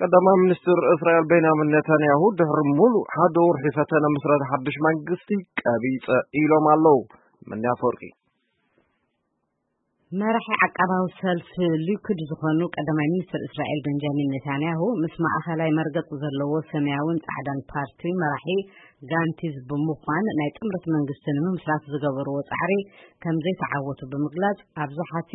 ቀዳማይ ሚኒስትር እስራኤል ቤንያሚን ኔታንያሁ ድሕሪ ሙሉእ ሓደ ወርሒ ፈተነ ምስረታ ሓድሽ መንግስቲ ቀቢጸ ኢሎም ኣለዉ። ምንያ ኣፈወርቂ። መራሒ ዓቃባዊ ሰልፊ ሊኩድ ዝኾኑ ቀዳማይ ሚኒስትር እስራኤል ቤንጃሚን ኔታንያሁ ምስ ማእኸላይ መርገጽ ዘለዎ ሰማያውን ጻዕዳን ፓርቲ መራሒ ጋንቲዝ ብምዃን ናይ ጥምረት መንግስቲ ንምምስራት ዝገበርዎ ጻዕሪ ከም ዘይተዓወቱ ብምግላጽ፣ ኣብዛሓቲ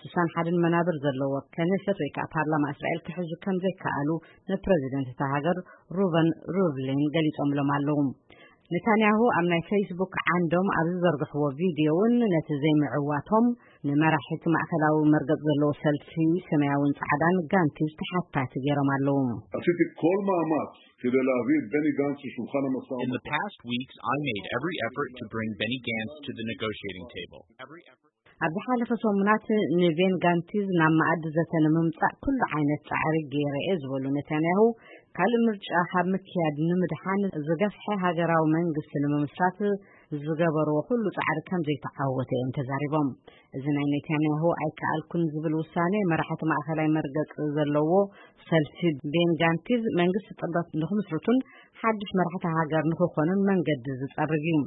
ስሳን ሓደን መናብር ዘለዎ ከነሰት ወይ ከዓ ፓርላማ እስራኤል ክሕዙ ከም ዘይከኣሉ ንፕረዚደንት እታ ሃገር ሩቨን ሩቭሊን ገሊጾምሎም ኣለዉ። ኔታንያሁ ኣብ ናይ ፌስቡክ ዓንዶም ኣብ ዝዘርግሕዎ ቪድዮ እውን ነቲ ዘይምዕዋቶም ንመራሒቲ ማእኸላዊ መርገጽ ዘለዎ ሰልፊ ሰማያውን ጻዕዳን ጋንቲዝ ተሓታቲ ገይሮም ኣለዉ። עשיתי כל מאמץ כדי להביא את בני גנץ לשולחן המשא In the ומתן. past weeks, I made every effort to bring Benny Gantz to the negotiating table. ኣብ ዝሓለፈ ሰሙናት ንቤን ጋንቲዝ ናብ መኣዲ ዘተ ንምምጻእ ኩሉ ዓይነት ጻዕሪ ገይረ እየ ዝበሉ ኔታንያሁ፣ ካልእ ምርጫ ካብ ምክያድ ንምድሓን ዝገፍሐ ሃገራዊ መንግስቲ ንምምስራት ዝገበርዎ ኩሉ ጻዕሪ ከም ዘይተዓወተ እዮም ተዛሪቦም። እዚ ናይ ኔታንያሁ ኣይከኣልኩን ዝብል ውሳኔ መራሕቲ ማእኸላይ መርገጽ ዘለዎ ሰልፊ ቤን ጋንቲዝ መንግስቲ ጥምረት ንክምስርቱን ሓድሽ መራሕቲ ሃገር ንክኾኑን መንገዲ ዝጸርግ እዩ።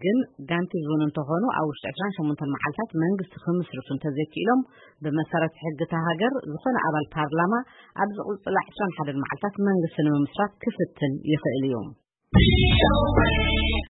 ግን ጋንቲዝ እውን እንተኾኑ ኣብ ውሽጢ ዕስራን ሸሞንተን መዓልታት መንግስቲ ክምስርቱ እንተዘይክኢሎም ብመሰረት ሕጊ እታ ሃገር ዝኾነ ኣባል ፓርላማ ኣብ ዝቕፅላ ዕስራን ሓደን መዓልታት መንግስቲ ንምምስራት ክፍትን ይኽእል እዩ።